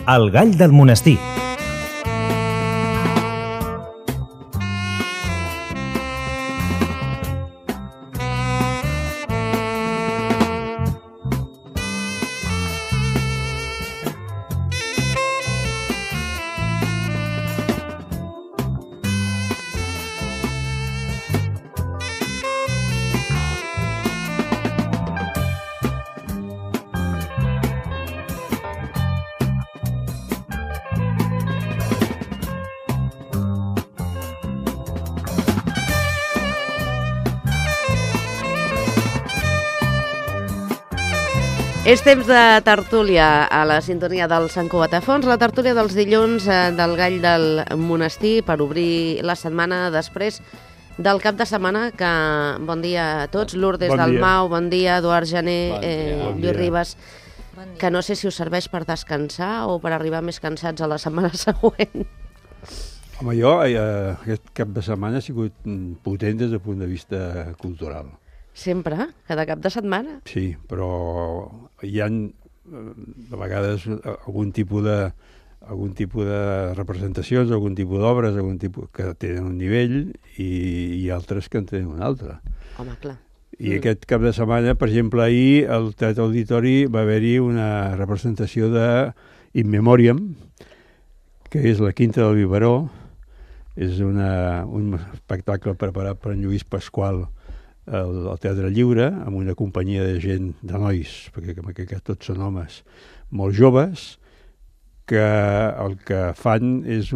El gall del monestir. És temps de tertúlia a la sintonia del Sant Cugat a Fons, la tertúlia dels dilluns del Gall del Monestir per obrir la setmana després del cap de setmana. Que bon dia a tots, Lourdes Dalmau, bon dia, Eduard Jané, Lluís Ribas, que no sé si us serveix per descansar o per arribar més cansats a la setmana següent. Home, jo aquest cap de setmana ha sigut potent des del punt de vista cultural. Sempre? Cada cap de setmana? Sí, però hi ha de vegades algun tipus de representacions, algun tipus d'obres, que tenen un nivell i altres que en tenen un altre. Home, clar. I aquest cap de setmana, per exemple, ahir al Teatre Auditori va haver-hi una representació de In Memoriam, que és la Quinta del Biberó. És un espectacle preparat per en Lluís Pasqual al Teatre Lliure, amb una companyia de gent, de nois, perquè tots són homes molt joves, que el que fan és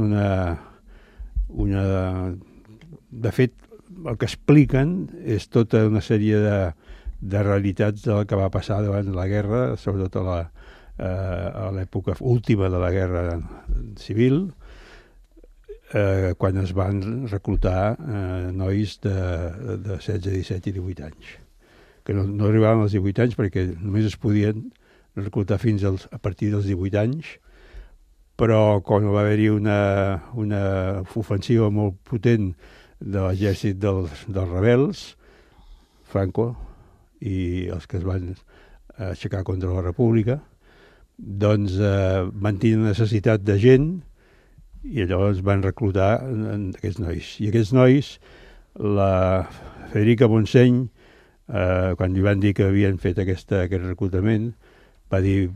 de fet, el que expliquen és tota una sèrie de realitats del que va passar davant de la guerra, sobretot a l'època última de la guerra civil, quan es van reclutar nois de 16, 17 i 18 anys, que no arribaven als 18 anys perquè només es podien reclutar fins a partir dels 18 anys, però quan va haver-hi una ofensiva molt potent de l'exèrcit dels rebels, Franco i els que es van aixecar contra la República, doncs van tenir necessitat de gent i llavors van reclutar aquests nois. I aquests nois, la Federica Montseny, quan li van dir que havien fet aquest reclutament, va dir,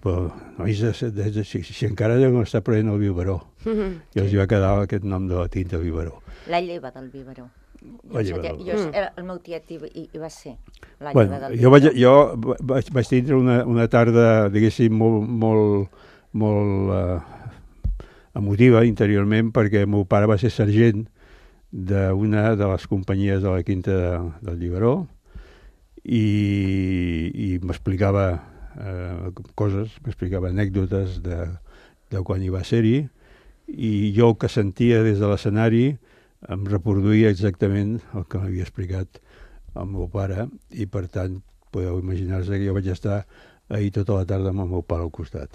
nois, si encara deuen estar prenent el biberó. I els va quedar aquest nom de la tinta biberó. La lleva del biberó. El meu tiet hi va ser. Jo vaig tindre una tarda, diguéssim, molt emotiva interiorment, perquè el meu pare va ser sergent d'una de les companyies de la Quinta del Biberó i m'explicava coses, m'explicava anècdotes de quan hi va ser-hi, i jo el que sentia des de l'escenari em reproduïa exactament el que m'havia explicat el meu pare, i per tant podeu imaginar-se que jo vaig estar ahir tota la tarda amb el meu pare al costat.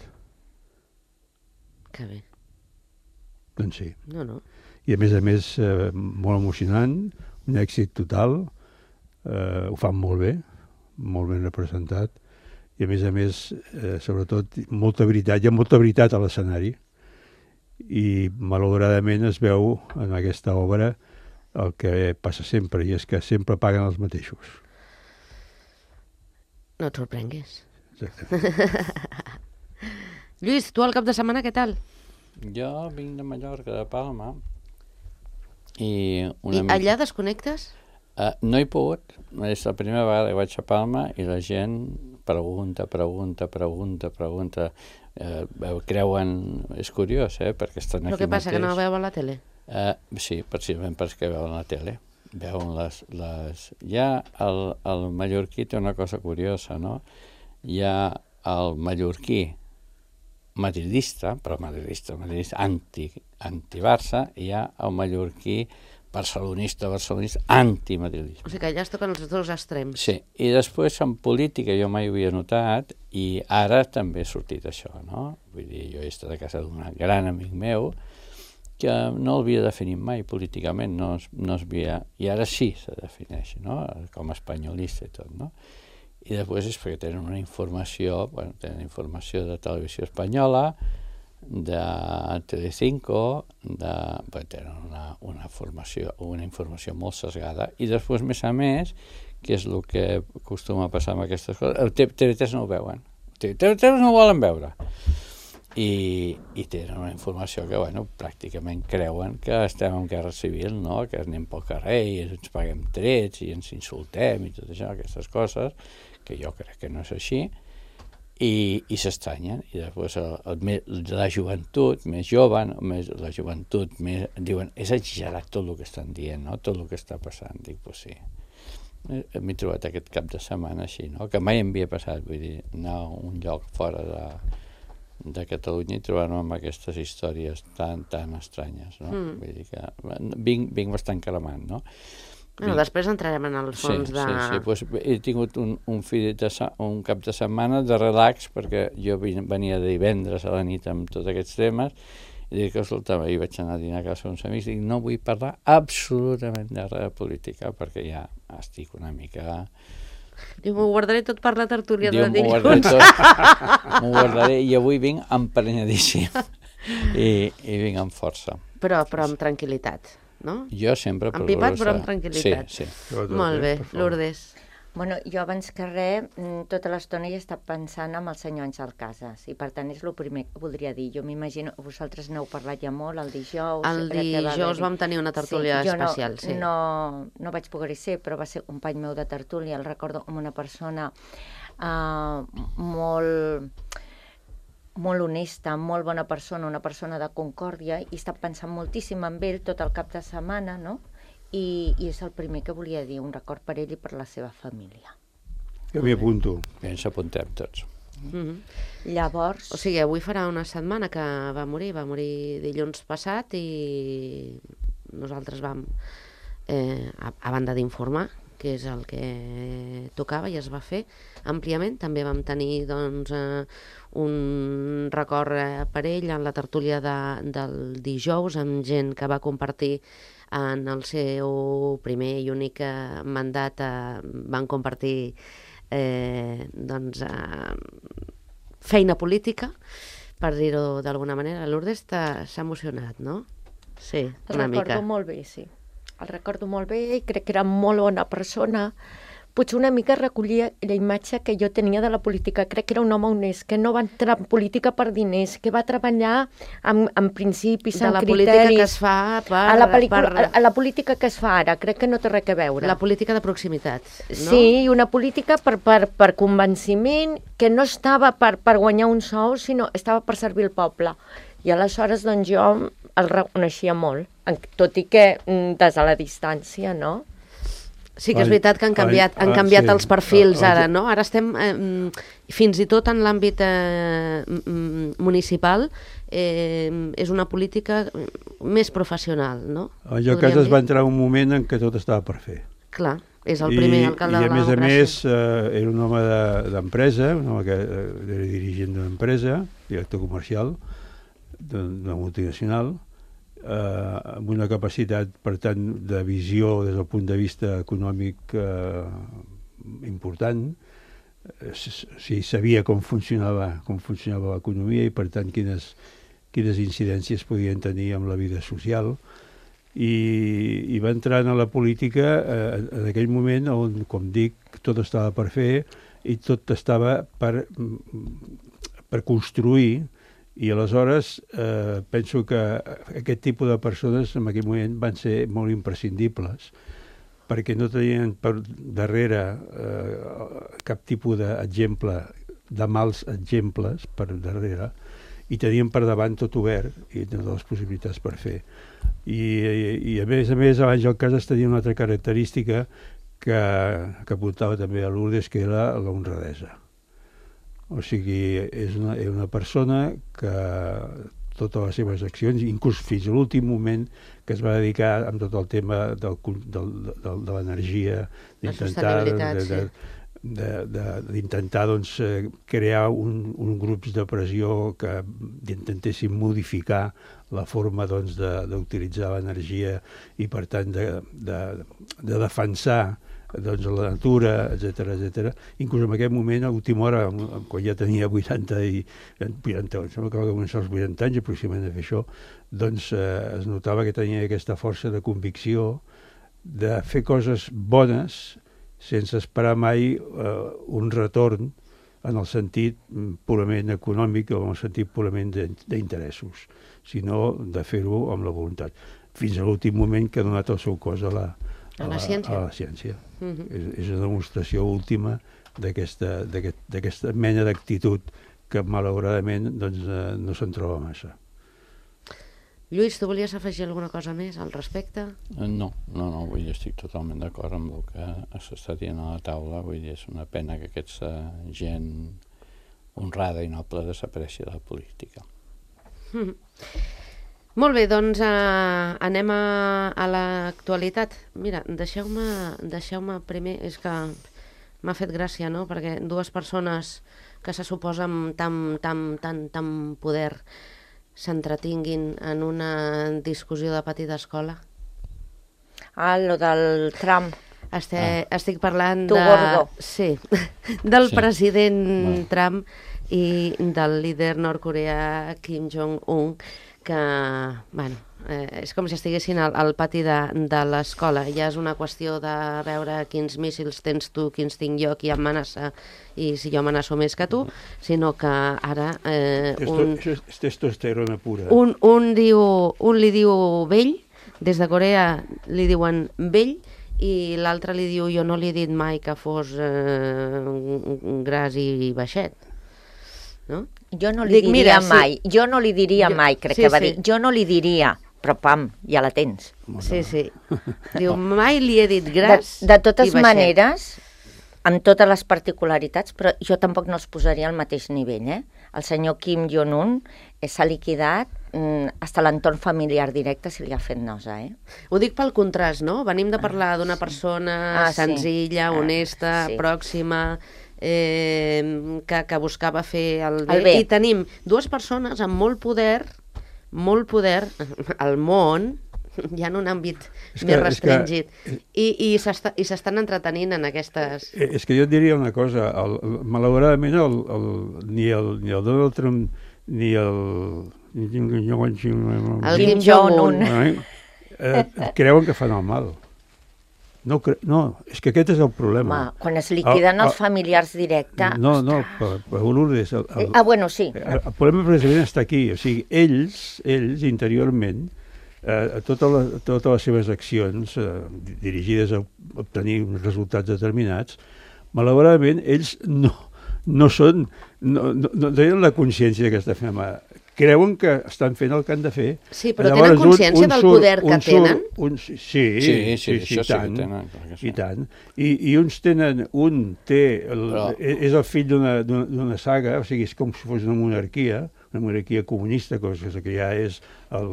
Que bé. Doncs sí. No. I a més, molt emocionant, un èxit total, ho fan molt ben representat, i a més, sobretot, molta veritat. Hi ha molta veritat a l'escenari, i malauradament es veu en aquesta obra el que passa sempre, i és que sempre paguen els mateixos. No et sorprenguis. Exactament. Lluís, tu al cap de setmana què tal? Jo vinc de Mallorca, de Palma, I allà desconnectes? No he pogut. És la primera vegada que vaig a Palma i la gent pregunta. Creuen... És curiós, perquè estan aquí mateix. Però què passa, que no veuen la tele? Sí, precisament perquè veuen la tele. Veuen les... Ja el mallorquí té una cosa curiosa, no? Hi ha el mallorquí madridista, però madridista anti-Barça, i hi ha el mallorquí barcelonista, anti-madridista. O sigui que allà es toquen els dos extrems. Sí, i després en política jo mai ho havia notat, i ara també ha sortit això, no? Vull dir, jo he estat a casa d'un gran amic meu que no l'havia definit mai políticament, no es havia... I ara sí se defineix, no? Com a espanyolista i tot, no? I després és perquè tenen una informació, tenen informació de televisió espanyola, de Telecinco, tenen una informació molt sesgada, i després, més a més, que és el que acostuma a passar amb aquestes coses, el TV3 no ho veuen, TV3 no ho volen veure, i tenen una informació que, pràcticament creuen que estem en guerra civil, no? Que anem pel carrer i ens paguem trets i ens insultem i tot això, aquestes coses, que jo crec que no és així, i s'estranyen. I després la joventut més jove, la joventut més, diuen, és exagerat tot el que estan dient, no? Tot el que està passant. Dic, pues sí. M'he trobat aquest cap de setmana així, no? Que mai em havia passat, vull dir, anar a un lloc fora de Catalunya i trobar-me amb aquestes històries tan estranyes, no? Vull dir que vinc bastant calamant, no? Després entrarem en el fons de... Sí, pues he tingut un cap de setmana de relax, perquè jo venia de divendres a la nit amb tots aquests temes, i dic, escolta, ahir vaig anar a dinar a casa uns amics, i dic, no vull parlar absolutament de res de política, perquè ja estic una mica... Diu, m'ho guardaré tot per la tertúlia de dilluns. M'ho guardaré, i avui vinc emprenyadíssim, i vinc amb força. Però amb tranquil·litat. No? Jo sempre... Empipat, però amb tranquil·litat. Sí. Molt bé, Lourdes. Bueno, jo abans que res, tota l'estona he estat pensant en el senyor Àngel Casas, i per tant és el primer que voldria dir. Jo m'imagino, vosaltres n'heu parlat ja molt el dijous. El dijous vam tenir una tertúlia especial, sí. No vaig poder-hi ser, però va ser company meu de tertúlia, el recordo com una persona molt honesta, molt bona persona, una persona de concòrdia, i he estat pensant moltíssim en ell tot el cap de setmana, no? I és el primer que volia dir, un record per ell i per la seva família. Que m'hi apunto. Bé, ens apuntem tots. Llavors... O sigui, avui farà una setmana que va morir dilluns passat, i nosaltres vam, a banda d'informar, que és el que tocava i es va fer àmpliament. També vam tenir un record per ell en la tertúlia del dijous, amb gent que va compartir en el seu primer i únic mandat, van compartir feina política, per dir-ho d'alguna manera. Lourdes s'ha emocionat, no? Sí, una mica. El recordo molt bé, sí. El recordo molt bé i crec que era molt bona persona. Potser una mica recollia la imatge que jo tenia de la política. Crec que era un home honest, que no va entrar en política per diners, que va treballar amb principis, amb criteris. De la política que es fa a la política que es fa ara, crec que no té res a veure. La política de proximitat, no? Sí, una política per convenciment, que no estava per guanyar un sou, sinó estava per servir el poble. I aleshores, doncs, jo el reconeixia molt, tot i que des de la distància, no? Sí que és veritat que han canviat els perfils ara, no? Ara estem, fins i tot en l'àmbit municipal, és una política més professional, no? En allò cas es va entrar un moment en què tot estava per fer. Clar, és el primer alcalde de la democràcia. I a més, era un home d'empresa, un home que era dirigent d'una empresa, director comercial d'una multinacional, amb una capacitat, per tant, de visió des del punt de vista econòmic important. Sabia com funcionava l'economia i, per tant, quines incidències podien tenir amb la vida social. I va entrar en la política en aquell moment on, com dic, tot estava per fer i tot estava per construir. I aleshores penso que aquest tipus de persones en aquell moment van ser molt imprescindibles, perquè no tenien per darrere cap tipus d'exemple, de mals exemples per darrere, i tenien per davant tot obert i totes les possibilitats per fer. I a més, Àngel Casas tenia una altra característica que apuntava també a Lourdes, que era l'honradesa. O sigui, és una persona que totes les seves accions, inclús fins a l'últim moment que es va dedicar amb tot el tema de l'energia, d'intentar crear un grup de pressió que intentessin modificar la forma d'utilitzar l'energia i, per tant, de defensar doncs, la natura, etc. Inclús en aquest moment, a l'última hora, quan ja tenia 80 em sembla que va començar als 80 anys aproximadament a fer això, doncs es notava que tenia aquesta força de convicció de fer coses bones sense esperar mai un retorn en el sentit purament econòmic o en el sentit purament d'interessos, sinó de fer-ho amb la voluntat. Fins a l'últim moment que ha donat el seu cos a la ciència. És una demostració última d'aquesta mena d'actitud que malauradament doncs, no se'n troba massa. Lluís, tu volies afegir alguna cosa més al respecte? No, vull dir, estic totalment d'acord amb el que s'està dient a la taula, vull dir, és una pena que aquesta gent honrada i noble desapareixi de la política. Molt bé, doncs anem a l'actualitat. Mira, deixeu-me primer, és que m'ha fet gràcia, no?, perquè dues persones que se suposen tant poder s'entretinguin en una discussió de petita escola. Lo del Trump. Estic parlant Sí, del president Trump i del líder nord-coreà Kim Jong-un, que, bueno, és com si estiguessin al pati de l'escola. Ja és una qüestió de veure quins míssils tens tu, quins tinc jo, qui amenaça i si jo amenaço més que tu, sinó que ara... És testosterona pura. Un li diu vell, des de Corea li diuen vell, i l'altre li diu jo no li he dit mai que fos gras i baixet. No? Jo no li diria mai, crec que va dir. Jo no li diria, però pam, ja la tens. Sí. Diu, mai li he dit gras de totes i baixet. maneres, amb totes les particularitats, però jo tampoc no els posaria al mateix nivell, El senyor Kim Jong-un s'ha liquidat, hasta l'entorn familiar directe se li ha fet nosa, Ho dic pel contrast, no? Venim de parlar d'una persona senzilla, honesta, pròxima, que buscava fer el bé. I tenim dues persones amb molt poder al món, ja en un àmbit més restringit, i s'estan entretenint en aquestes... És que jo et diria una cosa, malauradament ni el Donald Trump ni el Kim Jong-un creuen que fan el mal. No, és que aquest és el problema. Quan es liquiden els familiars directes... No, per Lourdes... bueno, sí. El problema precisament està aquí. O sigui, ells interiorment, totes les seves accions dirigides a obtenir uns resultats determinats, malauradament, ells no tenen la consciència que està fent mal. Creuen que estan fent el que han de fer. Sí, però tenen consciència del poder que tenen? Sí, i tant. I uns tenen... És el fill d'una saga, o sigui, és com si fos una monarquia comunista, cosa que ja és el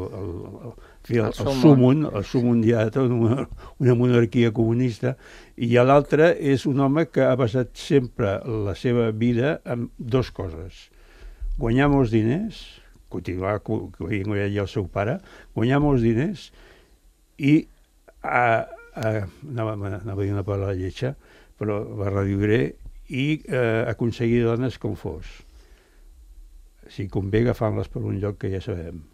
súmum ja una monarquia comunista, i l'altre és un home que ha basat sempre la seva vida en dues coses. Guanyar molts diners, continuar guanyant el seu pare, guanyar molts diners i anava a dir una paraula lletja, però la reviuré, i aconseguir dones com fos. Si convé agafant-les per un lloc que ja sabem.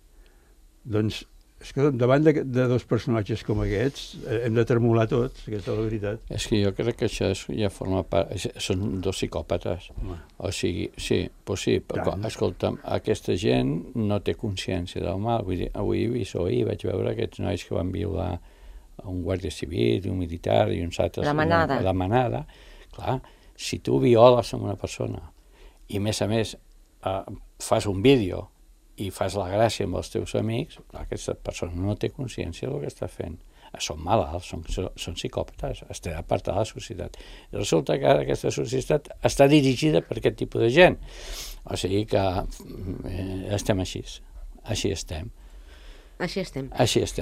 Doncs, és que davant de dos personatges com aquests hem de tremolar tots, aquesta és la veritat. És que jo crec que això ja forma part... Són dos psicòpates. O sigui, sí, però escolta'm, aquesta gent no té consciència del mal. Vull dir, avui vaig veure aquests nois que van violar un guàrdia civil, un militar i uns altres... La manada. Clar, si tu violes amb una persona i, a més, fas un vídeo i fas la gràcia amb els teus amics, aquesta persona no té consciència del que està fent. Són malalts, són psicòpates, estan apartats de la societat. I resulta que ara aquesta societat està dirigida per aquest tipus de gent. O sigui que estem així. Així estem.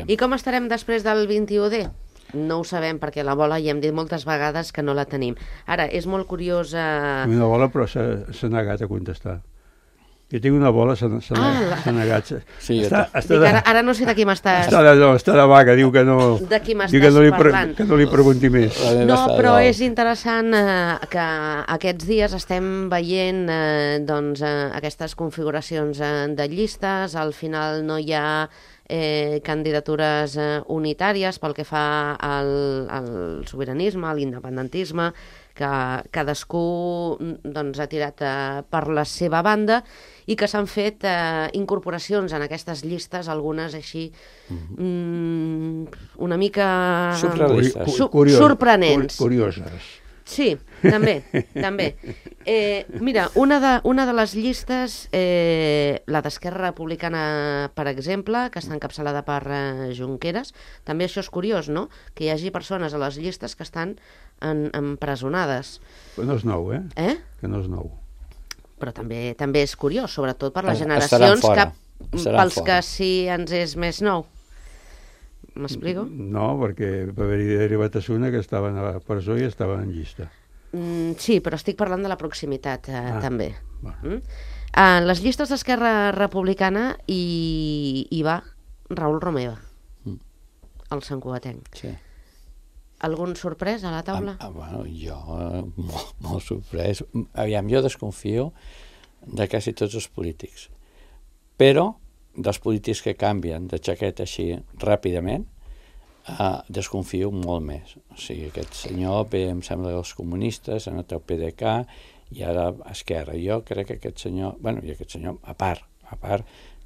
I com estarem després del 21D? No ho sabem, perquè la bola ja hem dit moltes vegades que no la tenim. Ara, és molt curiosa... Una bola, però s'ha negat a contestar. Jo tinc una bola Senegat. Sí, Ara no sé de qui m'estàs... Està de vaga, diu que no... De qui m'estàs parlant. Que no li pregunti més. No, però és interessant que aquests dies estem veient aquestes configuracions de llistes. Al final no hi ha candidatures unitàries pel que fa al sobiranisme, a l'independentisme, que cadascú ha tirat per la seva banda i que s'han fet incorporacions en aquestes llistes, algunes així una mica sorprenents. Curioses. Sí, també. Mira, una de les llistes, la d'Esquerra Republicana, per exemple, que està encapçalada per Junqueras, també això és curiós, no?, que hi hagi persones a les llistes que estan empresonades. Però no és nou, Que no és nou. Però també és curiós, sobretot per les generacions pels que sí ens és més nou. M'explico? No, perquè va haver-hi derivat una que estaven a la presó i estaven en llista. Sí, però estic parlant de la proximitat, també. Bueno. Les llistes d'Esquerra Republicana hi va Raül Romeva, el santcugatenc. Sí. Algun sorprès a la taula? Bueno, jo molt sorprès. Aviam, jo desconfio de quasi tots els polítics, però dels polítics que canvien de jaqueta així ràpidament, desconfio molt més. O sigui, aquest senyor ve, em sembla, dels comunistes, ha anat al PDeCAT i ara a Esquerra. Jo crec que aquest senyor, a part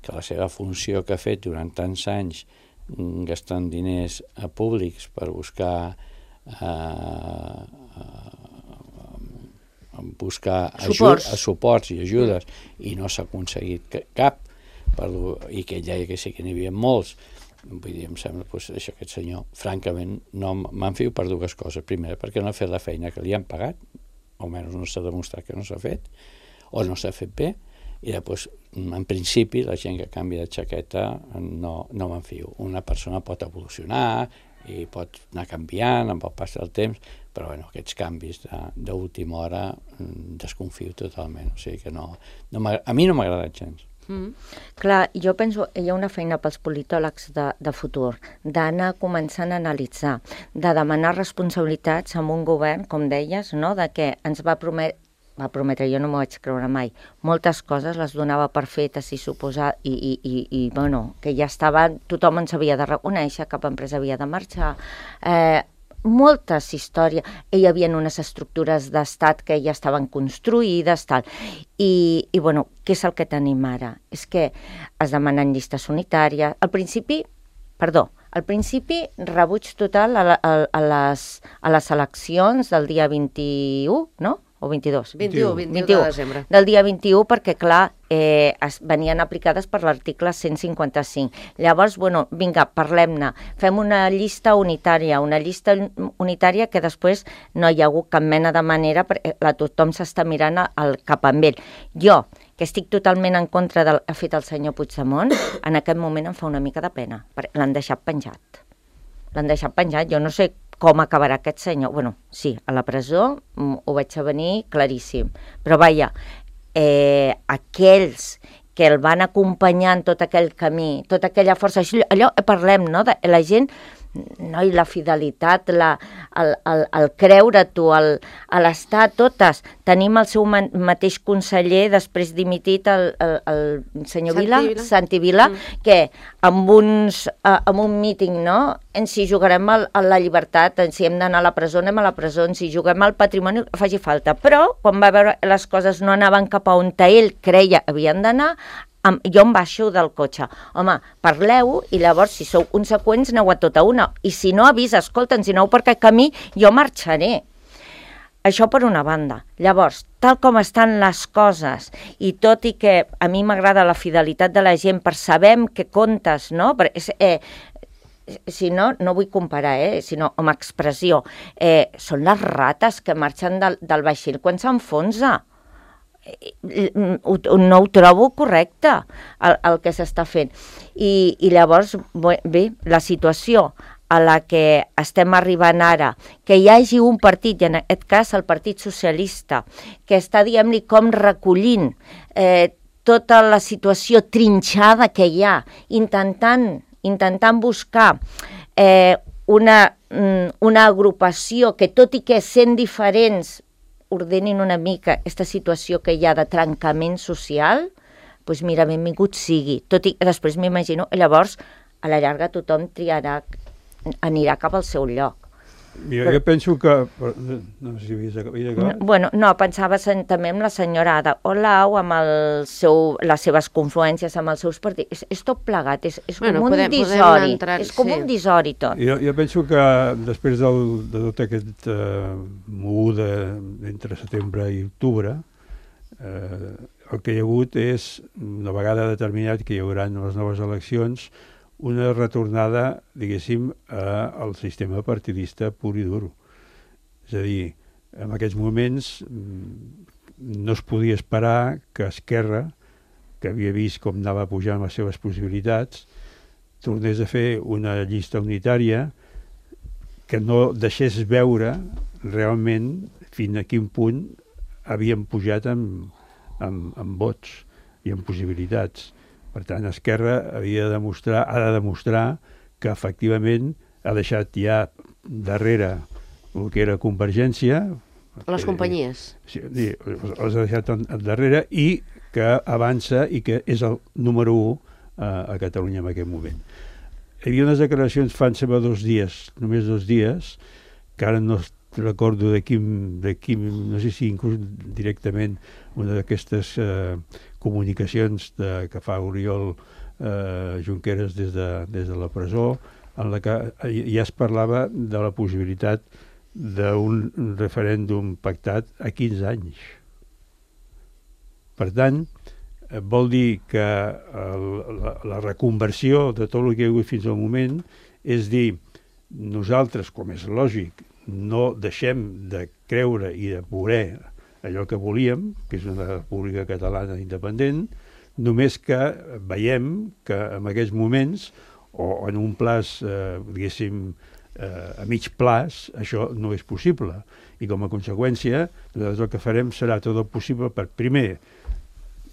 que la seva funció que ha fet durant tants anys gastant diners públics per buscar suports i ajudes i no s'ha aconseguit cap, i que ja sí que n'hi havia molts. Vull dir, em sembla que aquest senyor, francament, no m'enfio per dues coses. Primera, perquè no ha fet la feina que li han pagat, almenys no s'ha demostrat que no s'ha fet, o no s'ha fet bé, i després, en principi, la gent que canvia de jaqueta no m'enfio. Una persona pot evolucionar i pot anar canviant amb el pas del temps, però bueno, aquests canvis d'última hora desconfio totalment. O sigui que a mi no m'ha agradat gens. Clar, jo penso, hi ha una feina pels politòlegs de futur, d'anar començant a analitzar, de demanar responsabilitats amb un govern, com deies, no? De que ens va prometre, jo no m'ho vaig creure mai, moltes coses les donava per fetes i suposar, i bueno, que ja estava, tothom ens havia de reconèixer, cap empresa havia de marxar, moltes històries, hi havia unes estructures d'estat que ja estaven construïdes, tal, i bueno, què és el que tenim ara? És que es demanen llistes unitàries, al principi rebuig total a les eleccions del dia 21, no? O 22? 21 de desembre. Del dia 21, perquè, clar, venien aplicades per l'article 155. Llavors, bueno, vinga, parlem-ne. Fem una llista unitària que després no hi ha hagut cap mena de manera, perquè tothom s'està mirant cap amb ell. Jo, que estic totalment en contra del que ha fet el senyor Puigdemont, en aquest moment em fa una mica de pena. L'han deixat penjat. Jo no sé com acabarà aquest senyor. Bueno, sí, a la presó ho vaig a venir claríssim. Però vaja, aquells que el van acompanyar en tot aquell camí, tota aquella força, allò parlem, no?, de la gent, no? I la fidelitat, el creure tu, l'estar, totes. Tenim el seu mateix conseller, després dimitit, el senyor Santi Vila, que amb un míting, no?, ens hi jugarem a la llibertat, si hem d'anar a la presó, anem a la presó, ens hi juguem al patrimoni, faci falta. Però, quan va veure les coses no anaven cap a on ell creia havien d'anar, jo em baixo del cotxe. Home, parleu i llavors, si sou conseqüents, aneu a tota una. I si no, avisa, escolta'ns, si aneu per aquest camí, jo marxaré. Això per una banda. Llavors, tal com estan les coses, i tot i que a mi m'agrada la fidelitat de la gent per saber què comptes, no? Si no, no vull comparar, sinó com a expressió. Són les rates que marxen del vaixell quan s'enfonsa. No ho trobo correcte el que s'està fent i llavors bé, la situació a la que estem arribant ara, que hi hagi un partit, i en aquest cas el Partit Socialista, que està, diguem-li, com recollint tota la situació trinxada que hi ha, intentant buscar una agrupació que, tot i que sent diferents, ordenin una mica aquesta situació que hi ha de trencament social, doncs mira, benvingut sigui. Tot i que després m'imagino, llavors, a la llarga tothom anirà cap al seu lloc. Jo penso que... No sé si havies acabat. Bueno, no, pensava també en la senyora Ada Colau, amb les seves confluències amb els seus partits. És tot plegat, és com un disori. És com un disori tot. Jo penso que després de tot aquest moguda entre setembre i octubre, el que hi ha hagut és, una vegada determinat que hi haurà les noves eleccions, una retornada, diguéssim, al sistema partidista pur i dur. És a dir, en aquests moments no es podia esperar que Esquerra, que havia vist com anava pujant les seves possibilitats, tornés a fer una llista unitària que no deixés veure realment fins a quin punt havien pujat amb vots i amb possibilitats. Per tant, Esquerra ha de demostrar que efectivament ha deixat ja darrere el que era Convergència. Les companyies. Sí, les ha deixat darrere i que avança i que és el número 1 a Catalunya en aquest moment. Hi havia unes declaracions fa 2 dies, només 2 dies, que ara no recordo de quin, no sé si inclús directament una d'aquestes comunicacions que fa Oriol Junqueras des de la presó, en la que ja es parlava de la possibilitat d'un referèndum pactat a 15 anys. Per tant, vol dir que la reconversió de tot el que hi ha hagut fins al moment és dir, nosaltres, com és lògic, no deixem de creure i de voler allò que volíem, que és una república catalana independent, només que veiem que en aquests moments, o en un plaç, diguéssim, a mig plaç, això no és possible. I com a conseqüència, nosaltres el que farem serà tot el possible per, primer,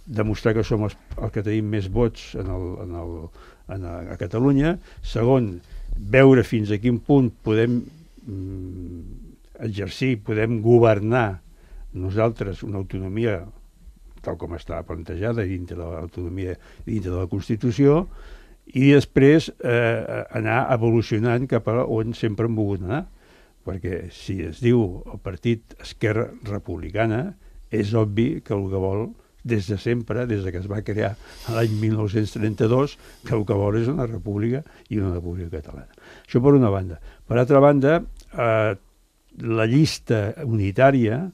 demostrar que som els que tenim més vots a Catalunya, segon, veure fins a quin punt podem exercir, podem governar nosaltres una autonomia tal com està plantejada dintre de l'autonomia, dintre de la Constitució, i després anar evolucionant cap a on sempre hem volgut anar, perquè si es diu el partit Esquerra Republicana, és obvi que el que vol des de sempre, des que es va crear l'any 1932, que el que vol és una república i una república catalana. Això per una banda. Per altra banda, la llista unitària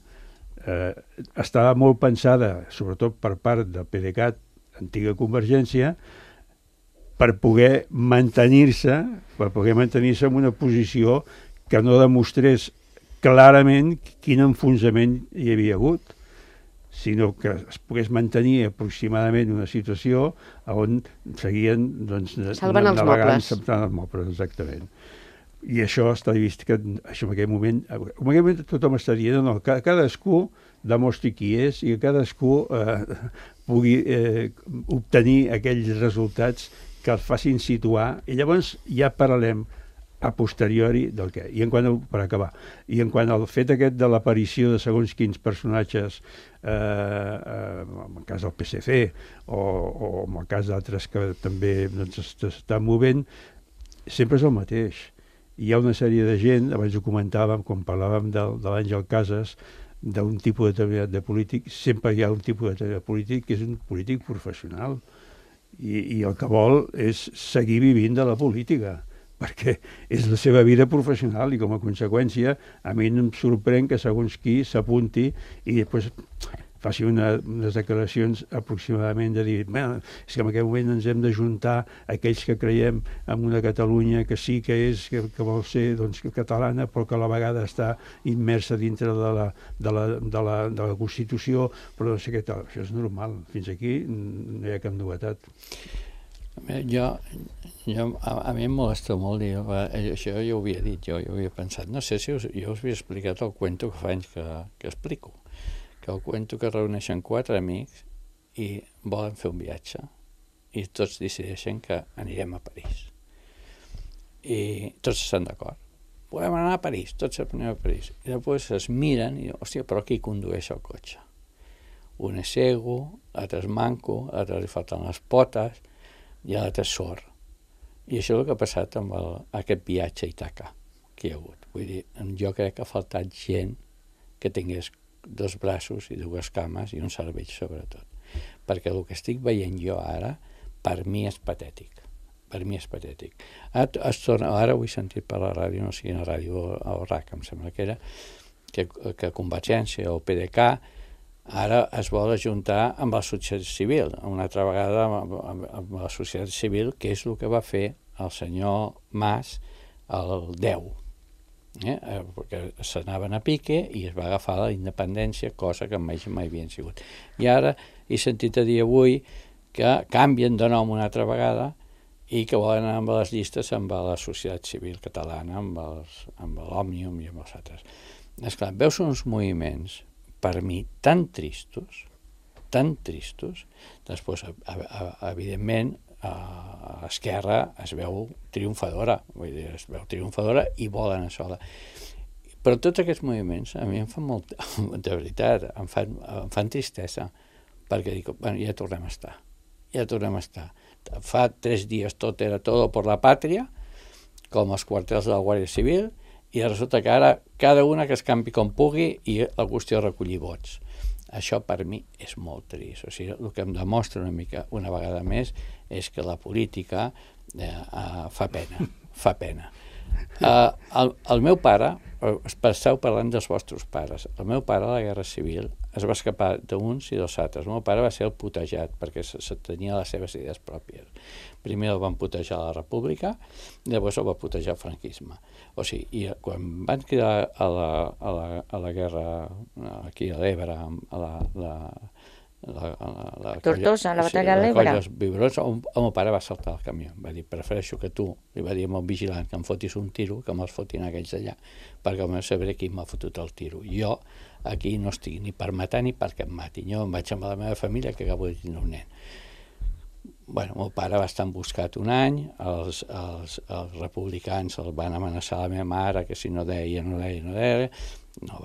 estava molt pensada, sobretot per part del PDeCAT, antiga Convergència, per poder mantenir-se en una posició que no demostrés clarament quin enfonsament hi havia hagut, sinó que es pogués mantenir aproximadament una situació on seguien salvant els mobles. Salvant els mobles, exactament. I això està vist que això en aquell moment tothom està dient no, que cadascú demostri qui és i que cadascú pugui obtenir aquells resultats que els facin situar, i llavors ja parlem a posteriori del què. I per acabar, i en quant al fet aquest de l'aparició de segons quins personatges, en el cas del PSC o en el cas d'altres que també s'estan movent, sempre és el mateix. Hi ha una sèrie de gent, abans ho comentàvem, quan parlàvem de l'Àngel Casas, d'un tipus determinat de polític, sempre hi ha un tipus determinat de polític que és un polític professional. I el que vol és seguir vivint de la política, perquè és la seva vida professional i com a conseqüència a mi no em sorprèn que segons qui s'apunti i després faci unes declaracions aproximadament de dir és que en aquest moment ens hem d'ajuntar aquells que creiem en una Catalunya que sí que és, que vol ser catalana però que a la vegada està immersa dintre de la Constitució, però no sé què tal. Això és normal, fins aquí no hi ha cap novetat. A mi em molesta molt dir, això jo ho havia dit, jo havia pensat, no sé si jo us havia explicat el cuento que fa anys que explico, que el cuento que reuneixen 4 amics i volen fer un viatge. I tots decideixen que anirem a París. I tots estan d'acord. Volem anar a París, tots anem a París. I després es miren i diuen, hòstia, però qui condueix el cotxe? Un és cego, l'altre és manco, l'altre li falten les potes i l'altre és sord. I això és el que ha passat amb aquest viatge a Ítaca que hi ha hagut. Vull dir, jo crec que ha faltat gent que tingués 2 braços i 2 cames i un cervell sobretot. Perquè el que estic veient jo ara, per mi és patètic. Per mi és patètic. Ara ho he sentit per la ràdio, no sé quina ràdio, o RAC, em sembla que era, que Convergència o PDeCAT ara es vol ajuntar amb la societat civil, una altra vegada amb la societat civil, que és el que va fer el senyor Mas el 10. Perquè s'anaven a pique i es va agafar la independència, cosa que mai havien sigut. I ara he sentit a dir avui que canvien de nom una altra vegada i que volen anar amb les llistes amb la societat civil catalana, amb l'Òmnium i amb els altres. Esclar, veus uns moviments, per mi, tan tristos, després, evidentment, a l'esquerra es veu triomfadora, vull dir, es veu triomfadora i volen això. Però tots aquests moviments a mi em fan molt, de veritat, em fan tristesa, perquè dic, bueno, ja tornem a estar. Fa 3 dies tot era todo por la patria, com els quartels de la Guàrdia Civil, i resulta que ara cada una que es campi com pugui i la qüestió és recollir vots. Això per mi és molt trist. O sigui, el que em demostra una mica, una vegada més, és que la política fa pena. El meu pare, esteu parlant dels vostres pares, el meu pare a la Guerra Civil es va escapar d'uns i dels altres. El meu pare va ser el putejat perquè tenia les seves idees pròpies. Primer el van putejar a la República i llavors el va putejar el franquisme. O sigui, quan van cridar a la guerra aquí a l'Ebre, Tortosa, la batalla de l'Ebre. El meu pare va saltar el camió, va dir, prefereixo que tu, li va dir al vigilant que em fotis un tiro, que me'ls fotin aquells d'allà, perquè almenys sabré qui m'ha fotut el tiro. Jo aquí no estic ni per matar ni perquè em matin. Jo em vaig amb la meva família que acabo de tenir un nen. Bueno, el meu pare va estar emboscat un any, els republicans el van amenaçar a la meva mare que si no deia, no va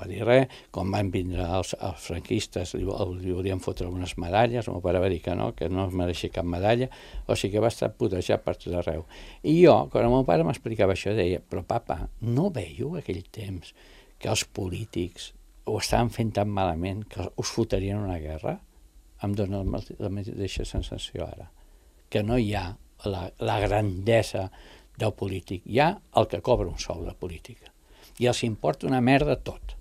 dir res. Quan van vindre els franquistes li volien fotre unes medalles, el meu pare va dir que no es mereixia cap medalla, o sigui que va estar putejat per tot arreu. I jo, quan el meu pare m'explicava això, deia, però papa, no veieu aquell temps que els polítics ho estaven fent tan malament que us fotrien una guerra? Em dóna la mateixa sensació ara, que no hi ha la grandesa del polític, hi ha el que cobra un sou de política i els importa una merda tot.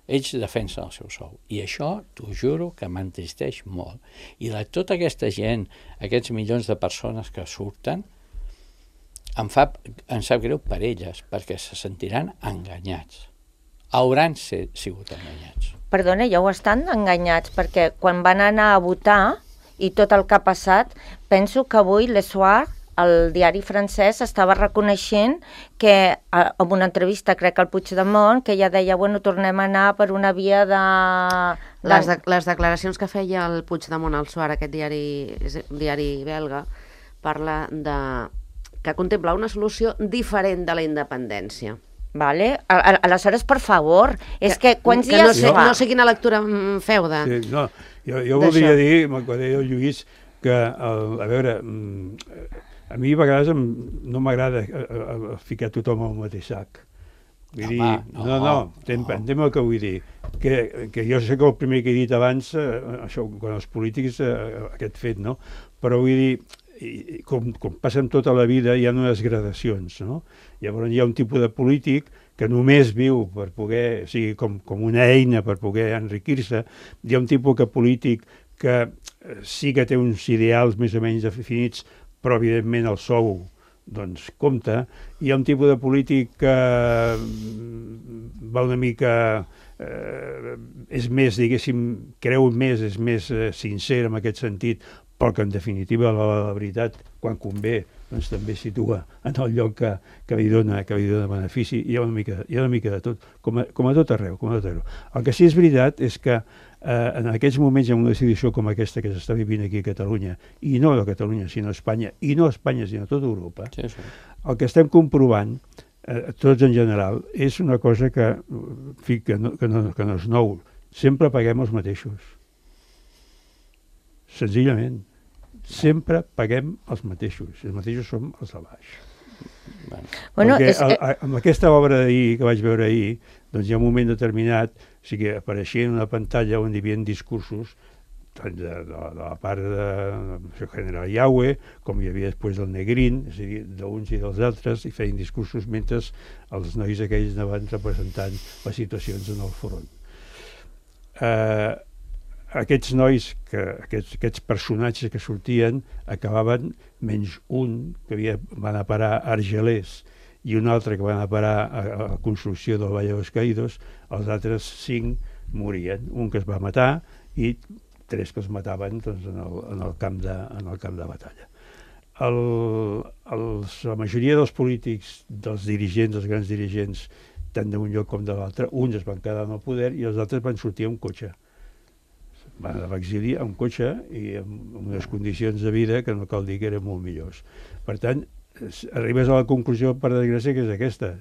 Ells defensen el seu sou i això, t'ho juro, que m'entristeix molt. I tota aquesta gent, aquests milions de persones que surten, em sap greu per elles, perquè se sentiran enganyats. Hauran sigut enganyats. Perdona, ja ho estan enganyats, perquè quan van anar a votar i tot el que ha passat, penso que avui Le Soir, el diari francès, estava reconeixent que, en una entrevista, crec que al Puigdemont, que ja deia, bueno, tornem a anar per una via de... Les declaracions que feia el Puigdemont al Soir, aquest diari belga, parla de que contempla una solució diferent de la independència. Vale? Aleshores, per favor, és que quants dies fa? No sé quina lectura feu de... Sí, no, jo voldria dir, quan deia el Lluís, que, a veure, a mi a vegades no m'agrada ficar tothom al mateix sac. Vull dir, entenc el que vull dir. Que jo sé que el primer que he dit abans, això, quan els polítics, aquest fet, no? Però vull dir, com passa amb tota la vida, hi ha unes gradacions, no? Llavors hi ha un tipus de polític que només viu per poder, o sigui, com una eina per poder enriquir-se. Hi ha un tipus de polític que sí que té uns ideals més o menys definits, però evidentment el sou doncs compta. Hi ha un tipus de polític que va una mica... és més, diguéssim, creu més, és més sincer en aquest sentit, però que en definitiva la veritat, quan convé, doncs també situa en el lloc que li dona benefici. Hi ha una mica de tot, com a tot arreu. El que sí és veritat és que en aquests moments, en una situació com aquesta que s'està vivint aquí a Catalunya, i no a Catalunya, sinó a Espanya, i no a Espanya, sinó a tota Europa, Sí, sí. el que estem comprovant, tots en general, és una cosa que, en fi, que no és nou. Sempre paguem els mateixos. Senzillament. Sempre paguem els mateixos. Els mateixos som els de baix. Bueno, Perquè amb aquesta obra d'ahir, que vaig veure ahir, doncs hi ha un moment determinat, o sigui, apareixia en una pantalla on hi havia discursos tant de la part de General Yahweh, com hi havia després del Negrín, és a dir, d'uns i dels altres, i feien discursos mentre els nois aquells anaven representant les situacions en el front. Aquests nois, aquests personatges que sortien, acabaven, menys un que va anar a parar a Argelers i un altre que va anar a parar a la construcció del Valle de los Caídos, els altres 5 morien. Un que es va matar i 3 que els mataven doncs, en el camp de batalla. La majoria dels polítics, dels dirigents, dels grans dirigents, tant d'un lloc com de l'altre, uns es van quedar en el poder i els altres van sortir amb cotxe. Van anar a l'exili amb cotxe i amb unes condicions de vida que no cal dir que eren molt millors. Per tant, arribes a la conclusió, per desgràcia, que és aquesta.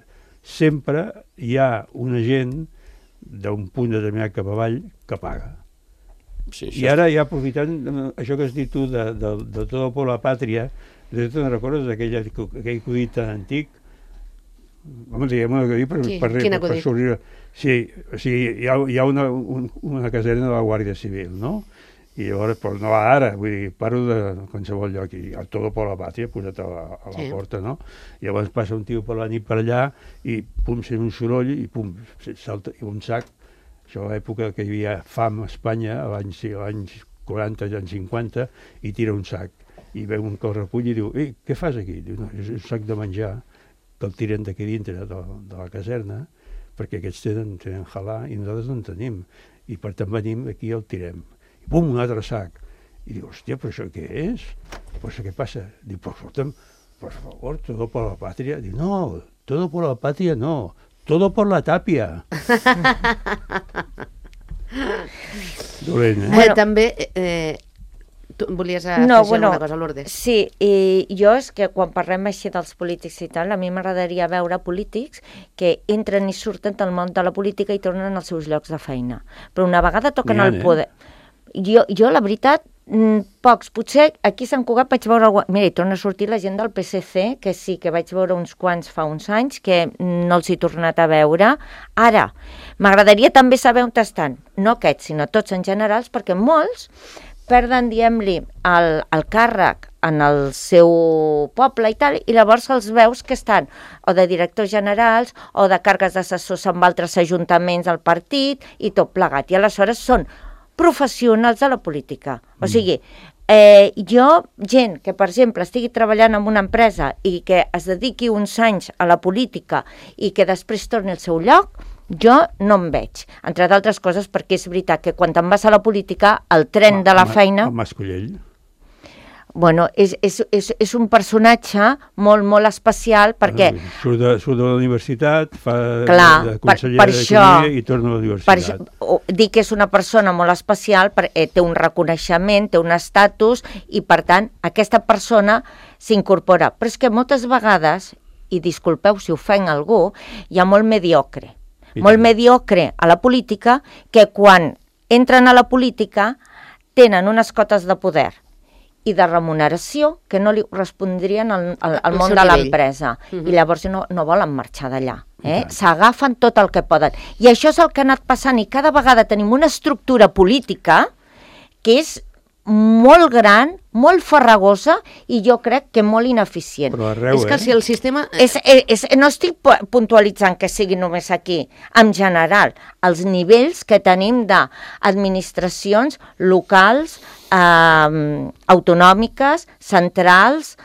Sempre hi ha una gent d'un punt determinat cap avall que paga. Sí, I ara, ja aprofitant això que has dit tu de Todo por la Patria, de tu te'n recordes d'aquell acudit tan antic? Home, diguem un acudit per sorrir. Sí, o sigui, hi ha una caserna de la Guàrdia Civil, no? I llavors, però no ara, vull dir, parlo de qualsevol lloc, i el Todo por la Patria posat a la porta, no? I llavors passa un tio per la nit per allà i pum, sent un soroll i pum, salta un sac. Això a l'època que hi havia fam a Espanya, als anys 40, als anys 50, i tira un sac. I veu un que el recull i diu, què fas aquí? Diu, no, és un sac de menjar que el tiren d'aquí dintre de la caserna, perquè aquests tenen halà i nosaltres no en tenim. I per tant venim aquí i el tirem. I pum, un altre sac. I diu, hòstia, però això què és? Pues, què passa? Diu, pues, escolta'm, por favor, todo por la patria. Diu, no, todo por la patria no. Todo por la tàpia. Dolent, Bueno, també, tu volies afegir alguna cosa, Lourdes? Sí, i jo és que quan parlem així dels polítics i tal, a mi m'agradaria veure polítics que entren i surten del món de la política i tornen als seus llocs de feina. Però una vegada toquen el poder... Jo, la veritat, pocs. Potser aquí a Sant Cugat vaig veure... Mira, hi torna a sortir la gent del PSC, que sí, que vaig veure uns quants fa uns anys, que no els he tornat a veure. Ara, m'agradaria també saber on estan. No aquests, sinó tots en generals, perquè molts perden, diguem-li, el càrrec en el seu poble i tal, i llavors els veus que estan o de directors generals o de càrrecs d'assessors amb altres ajuntaments del partit i tot plegat. I aleshores són professionals de la política. O sigui, gent que, per exemple, estigui treballant en una empresa i que es dediqui uns anys a la política i que després torni al seu lloc, jo no em veig. Entre d'altres coses perquè és veritat que quan te'n vas a la política, el tren de la feina... El Mascolell. Bueno, és un personatge molt, molt especial perquè... Surt de la universitat, fa de conseller d'Economia i torna a la universitat. Dic que és una persona molt especial, té un reconeixement, té un estatus i, per tant, aquesta persona s'incorpora. Però és que moltes vegades, i disculpeu si ofenc algú, hi ha molt mediocre. Molt mediocre a la política que quan entren a la política tenen unes cotes de poder i de remuneració que no li correspondrien al món de l'empresa. I llavors no volen marxar d'allà. S'agafen tot el que poden. I això és el que ha anat passant i cada vegada tenim una estructura política que és molt gran, molt farragosa i jo crec que molt ineficient. Però arreu, és que si el sistema... No estic puntualitzant que sigui només aquí. En general, els nivells que tenim d'administracions locals, autonòmiques, centrals,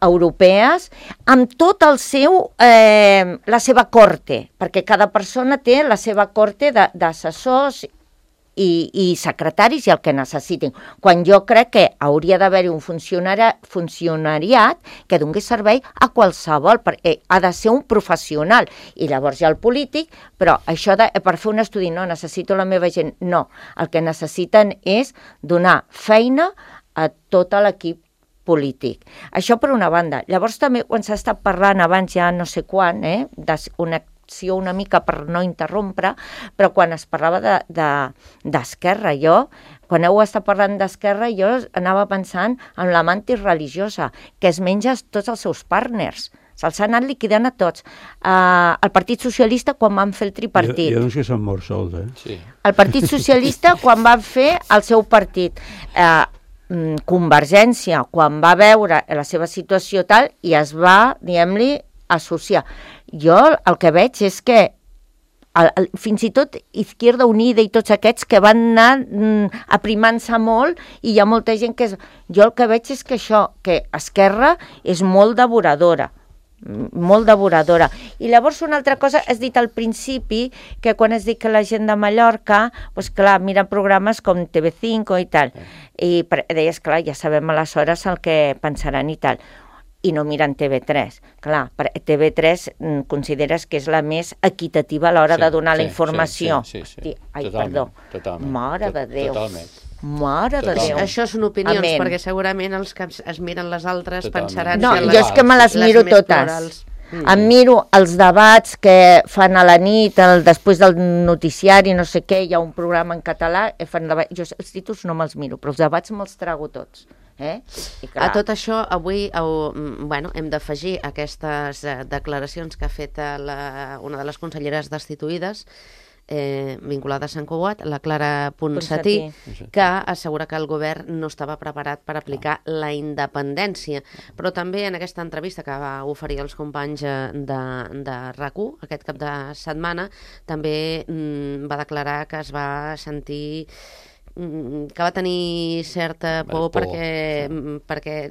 europees, amb tot el seu, la seva corte, perquè cada persona té la seva corte d'assessors i secretaris i el que necessitin. Quan jo crec que hauria d'haver-hi un funcionariat que doni servei a qualsevol, perquè ha de ser un professional. I llavors hi ha el polític, però això per fer un estudi, no, necessito la meva gent. No, el que necessiten és donar feina a tot l'equip polític. Això per una banda. Llavors també quan s'ha estat parlant abans ja no sé quan, d'una acció una mica per no interrompre, però quan es parlava d'Esquerra, quan heu estat parlant d'Esquerra, jo anava pensant en la mantis religiosa, que es menja tots els seus partners. Se'ls ha anat liquidant a tots. El Partit Socialista, quan van fer el tripartit. Hi ha uns que s'han mort sols, Sí. El Partit Socialista, quan van fer el seu partit. Convergència, quan va veure la seva situació tal, i es va, diguem-li, associar. Jo el que veig és que fins i tot Izquierda Unida i tots aquests que van anar aprimant-se molt, i hi ha molta gent que... Jo el que veig és que això, que Esquerra és molt devoradora. I llavors una altra cosa, has dit al principi que quan has dit que la gent de Mallorca, doncs clar, miren programes com TV5 i tal, i deies, clar, ja sabem aleshores el que pensaran i tal, i no miren TV3. Clar, TV3 consideres que és la més equitativa a l'hora de donar la informació. Sí. Ai, perdó. Totalment. Mare de Déu. Totalment. Mare de Déu. Això són opinions, Amén. perquè segurament els que es miren les altres Totalment. pensaran No, que jo és que me les miro més totes. plurals. Em miro els debats que fan a la nit, després del noticiari, no sé què, hi ha un programa en català, jo els títols no me'ls miro, però els debats me'ls trago tots. I clar, A tot això, avui hem d'afegir aquestes declaracions que ha fet una de les conselleres destituïdes vinculada a Sant Cugat, la Clara Ponsatí, que assegura que el govern no estava preparat per aplicar la independència. Però també en aquesta entrevista que va oferir als companys de RAC1 aquest cap de setmana, també va declarar que es va sentir que va tenir certa por perquè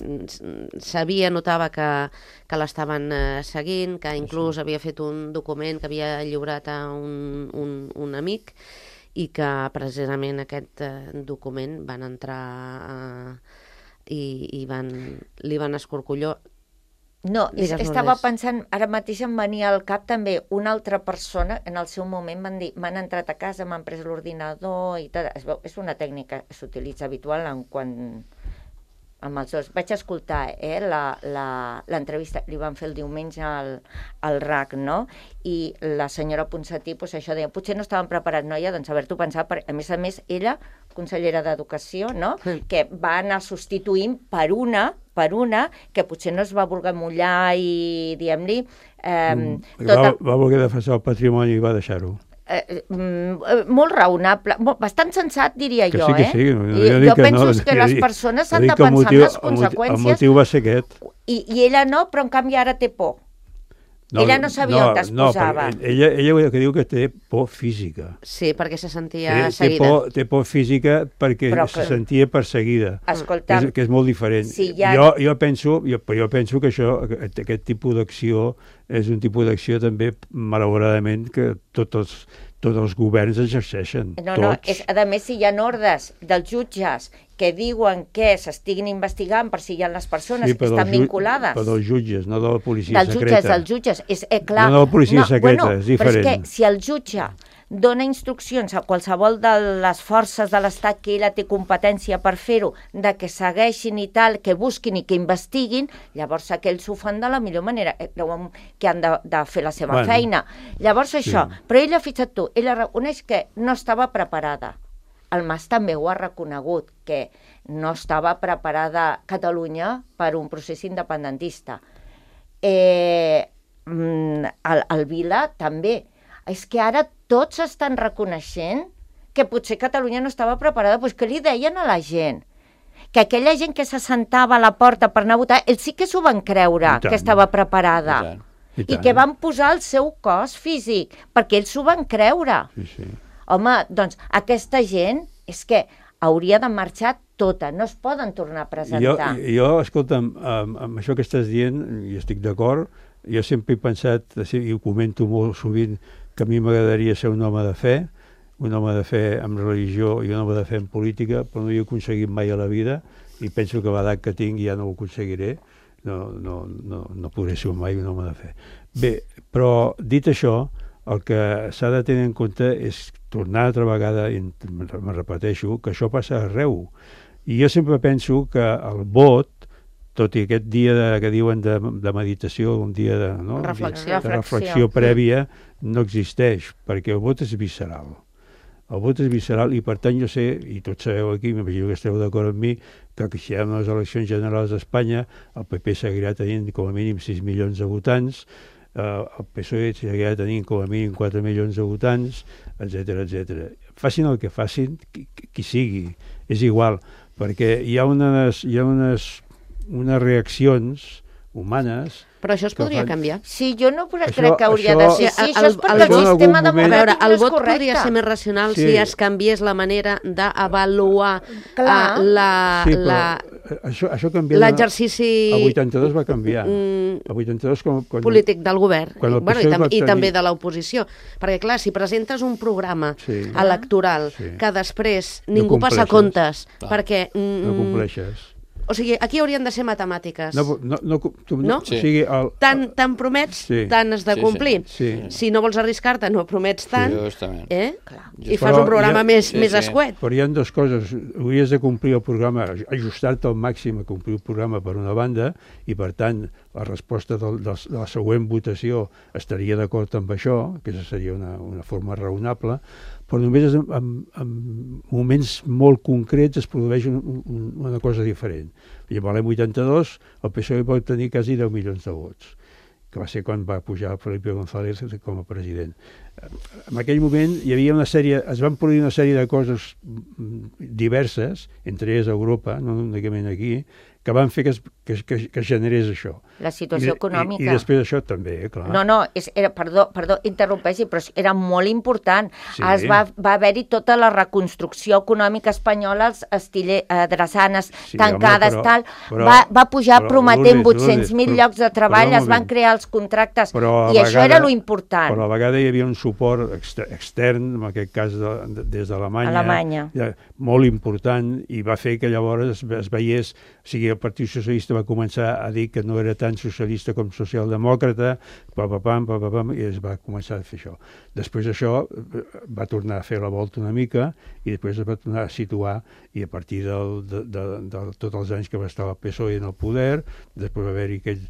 notava que l'estaven seguint, que inclús havia fet un document que havia lliurat a un amic, i que precisament aquest document van entrar i li van escorcollar. No, estava pensant, ara mateix em venia al cap també una altra persona, en el seu moment van dir, m'han entrat a casa, m'han pres l'ordinador i tal. És una tècnica que s'utilitza habitual amb els dos. Vaig escoltar l'entrevista, li van fer el diumenge al RAC, no? I la senyora Ponsatí, això deia, potser no estaven preparats, noia, doncs haver-t'ho pensat, a més, ella, consellera d'Educació, no? Que va anar substituint per una que potser no es va voler mullar i, diguem-li... Va voler defensar el patrimoni i va deixar-ho. Molt raonable, bastant sensat, diria jo. Que sí. Jo penso que les persones han de pensar en les conseqüències. El motiu va ser aquest. I ella no, però en canvi ara té por. Ella no sabia on es posava. Ella que diu que té por física. Sí, perquè se sentia seguida. Té por física perquè se sentia perseguida. Escolta, que és molt diferent. Sí, jo penso que aquest tipus d'acció és un tipus d'acció també, malauradament, que tots els governs exerceixen. No, a més, si hi ha ordres dels jutges que diuen que s'estiguin investigant per si hi ha les persones que estan vinculades. Però dels jutges, no de la policia secreta. Dels jutges, és clar. No de la policia secreta, és diferent. Però és que si el jutge dona instruccions a qualsevol de les forces de l'Estat que ella té competència per fer-ho, de que segueixin i tal, que busquin i que investiguin, llavors aquells ho fan de la millor manera, creuen que han de fer la seva feina. Llavors això, però ella, fixa't tu, ella reconeix que no estava preparada. El Mas també ho ha reconegut, que no estava preparada Catalunya per un procés independentista. El Vila també. És que ara tots estan reconeixent que potser Catalunya no estava preparada. Doncs què li deien a la gent? Que aquella gent que s'assentava a la porta per anar a votar, ells sí que s'ho van creure, que estava preparada. I que van posar el seu cos físic, perquè ells s'ho van creure. Home, doncs aquesta gent és que hauria de marxar tota, no es poden tornar a presentar. Jo escolta'm, amb això que estàs dient, i estic d'acord, jo sempre he pensat, i ho comento molt sovint, que a mi m'agradaria ser un home de fe, un home de fe en religió i un home de fe en política, però no hi he aconseguit mai a la vida i penso que a l'edat que tinc ja no ho aconseguiré. No podré ser mai un home de fe. Bé, però dit això, el que s'ha de tenir en compte és tornar altra vegada, i me repeteixo, que això passa arreu. I jo sempre penso que el vot, tot i aquest dia que diuen de meditació, un dia de reflexió prèvia, no existeix, perquè el vot és visceral. El vot és visceral i, per tant, jo sé, i tots sabeu aquí, m'imagino que esteu d'acord amb mi, que si hi ha les eleccions generals d'Espanya, el PP seguirà tenint com a mínim 6 milions de votants, el PSOE seguirà tenint com a mínim 4 milions de votants, etc. Facin el que facin, qui sigui, és igual, perquè hi ha unes reaccions humanes... Però això es podria canviar. Sí, jo no crec que hauria de ser així. Això és perquè el sistema democràtic no és correcte. El vot podria ser més racional si es canviés la manera d'avaluar l'exercici... El 82 va canviar. El 82 polític del govern i també de l'oposició. Perquè, clar, si presentes un programa electoral que després ningú passa comptes perquè... No compleixes. O sigui, aquí haurien de ser matemàtiques. No? Sí. O sigui, tant promets, tant has de complir. Si no vols arriscar-te, no promets tant, i fas un programa més escuet. Però hi ha dues coses. Hauries de complir el programa, ajustar-te al màxim a complir el programa per una banda, i per tant la resposta de la següent votació estaria d'acord amb això, que seria una forma raonable, però només en moments molt concrets es produeix una cosa diferent. Llavors, l'any 82, el PSOE va obtenir quasi 10 milions de vots, que va ser quan va pujar Felipe González com a president. En aquell moment es van produir una sèrie de coses diverses, entre elles a Europa, no únicament aquí, que van fer que es generés això. La situació econòmica. I després això també, clar. Perdó, interrompeixi, però era molt important. Va haver-hi tota la reconstrucció econòmica espanyola, els drassanes tancades, tal. Va pujar prometent 800.000 llocs de treball, es van crear els contractes, i això era lo important. Però a la vegada hi havia un suport extern, en aquest cas des d'Alemanya, molt important, i va fer que llavors es veiés, o sigui, el Partit Socialista va començar a dir que no era tan socialista com socialdemòcrata, i es va començar a fer això. Després això va tornar a fer la volta una mica i després es va tornar a situar, i a partir de tots els anys que va estar el PSOE en el poder, després va haver-hi aquell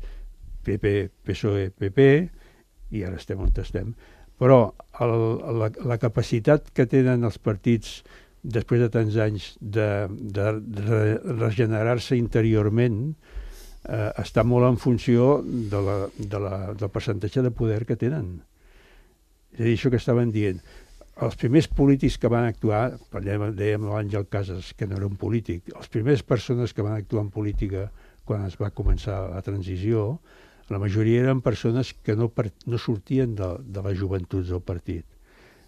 PP, PSOE, PP, i ara estem on estem. Però la capacitat que tenen els partits després de tants anys de regenerar-se interiorment està molt en funció del percentatge de poder que tenen. És a dir, això que estaven dient. Els primers polítics que van actuar, dèiem l'Àngel Casas, que no era un polític, les primeres persones que van actuar en política quan es va començar la transició, la majoria eren persones que no sortien de les joventuts del partit.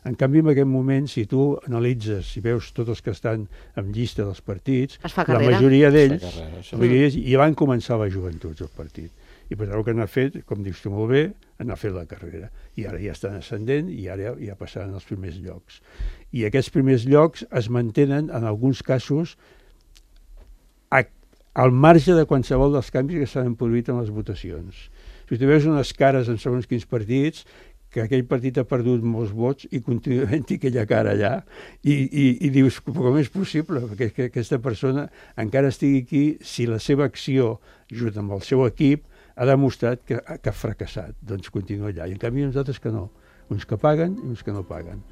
En canvi, en aquest moment, si tu analitzes, si veus tots els que estan en llista dels partits, la majoria d'ells ja van començar les joventuts del partit. I per tant, el que han fet, com dius tu molt bé, han fet la carrera. I ara ja estan ascendent i ara ja passaran als primers llocs. I aquests primers llocs es mantenen, en alguns casos, al marge de qualsevol dels canvis que s'han produït en les votacions. Si tu veus unes cares en segons quins partits, que aquell partit ha perdut molts vots i continua havent-hi aquella cara allà, i dius, com és possible que aquesta persona encara estigui aquí si la seva acció, junt amb el seu equip, ha demostrat que ha fracassat, doncs continua allà. I en canvi uns altres que no, uns que paguen i uns que no paguen.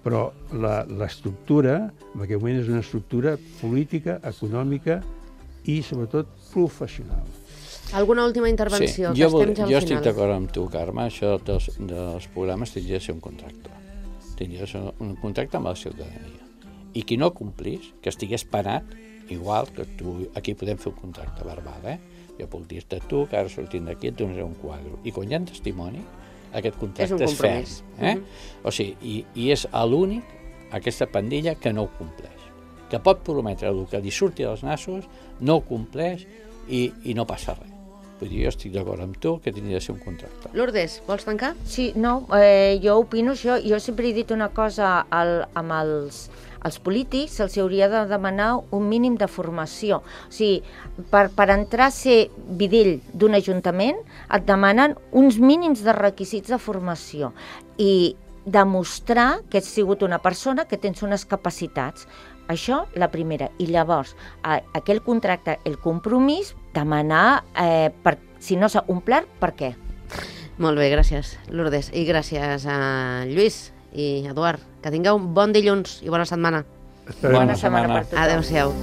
Però l'estructura, en aquest moment, és una estructura política, econòmica i, sobretot, professional. Alguna última intervenció? Sí, jo estic d'acord amb tu, Carme. Això dels programes tindria de ser un contracte. Tindria de ser un contracte amb la ciutadania. I qui no complís, que estigués parat, igual que tu, aquí podem fer un contracte verbal, Jo puc dir-te tu, que ara sortint d'aquí et donaré un quadre. I quan hi ha testimoni, aquest contracte és ferm. O sigui, i és l'únic, aquesta pandilla, que no ho compleix. Que pot prometre el que li surti dels nassos, no ho compleix i no passa res. Vull dir, jo estic d'acord amb tu que tenia de ser un contracte. Lourdes, vols tancar? Sí, no, jo opino això. Jo sempre he dit una cosa amb els polítics, se'ls hauria de demanar un mínim de formació. O sigui, per entrar a ser videll d'un ajuntament et demanen uns mínims de requisits de formació i demostrar que ets sigut una persona que tens unes capacitats. Això, la primera. I llavors, aquell contracte, el compromís, demanar, si no s'ha omplert, per què? Molt bé, gràcies, Lourdes. I gràcies a Lluís i Eduard. Que tingueu un bon dilluns i bona setmana. Bona setmana setmana. per tothom. Adéu-siau.